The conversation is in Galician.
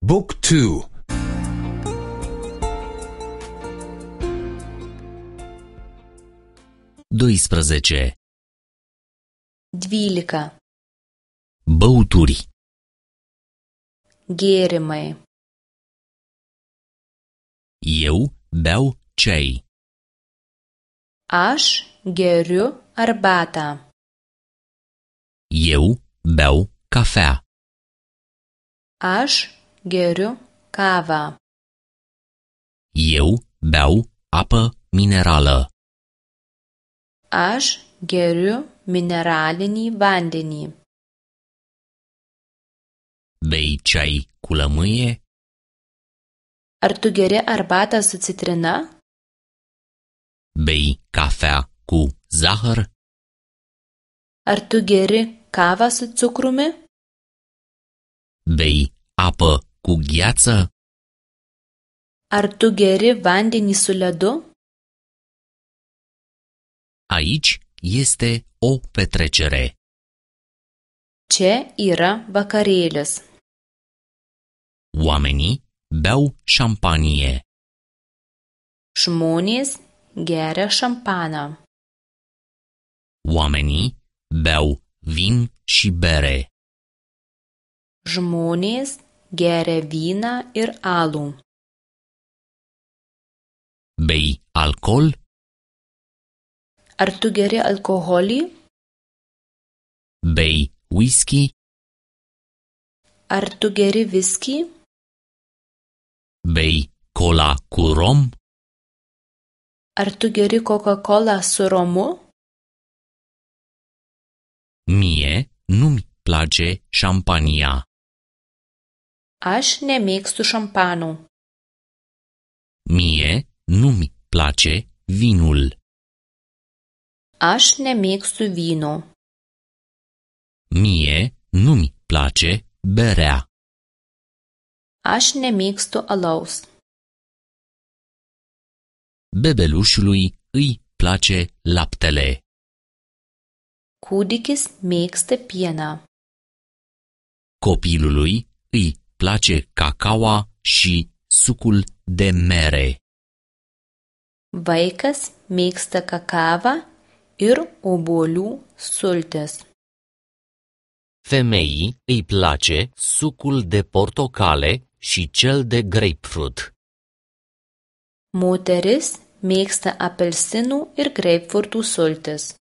Book 2. 12. 12. Băuturi. Gėrimai. Eu beau ceai. Aš geriu arbatą. Eu beau cafea. Aš geriu kavą. Eu beau apă minerală. Aš geriu mineralinį vandenį. Bei ceai cu lămâie? Ar tu geri arbatą su citrina? Bei cafea cu zahăr? Ar tu geri kavą su cukrumi? Bei apă cu gheață? Ar tu geri vandenį su ledu? Aici este o petrecere. Čia yra vakarėlis. Oamenii beau șampanie. Žmonės geria šampaną. Oamenii beau vin și bere. Žmonės geria vyną ir alų. Bei alcool? Ar tu geri alkoholį? Bei whisky? Ar tu geri viskį? Bei cola cu rom? Ar tu geri Coca-Cola su romu? Mie nu-mi place șampania. Aš nemėgstu šampano. Mie nu-mi place vinul. Aš nemėgstu vyno. Mie nu-mi place berea. Aš nemėgstu alaus. Bebelușului îi place laptele. Kūdikis mėgsta pieną. Copilului îi place cacaua și sucul de mere. Vaikas mėgsta kakavą ir obuolių sultis. Femeii îi place sucul de portocale și cel de grapefruit. Moteris mėgsta apelsinų ir greipfrutų sultis.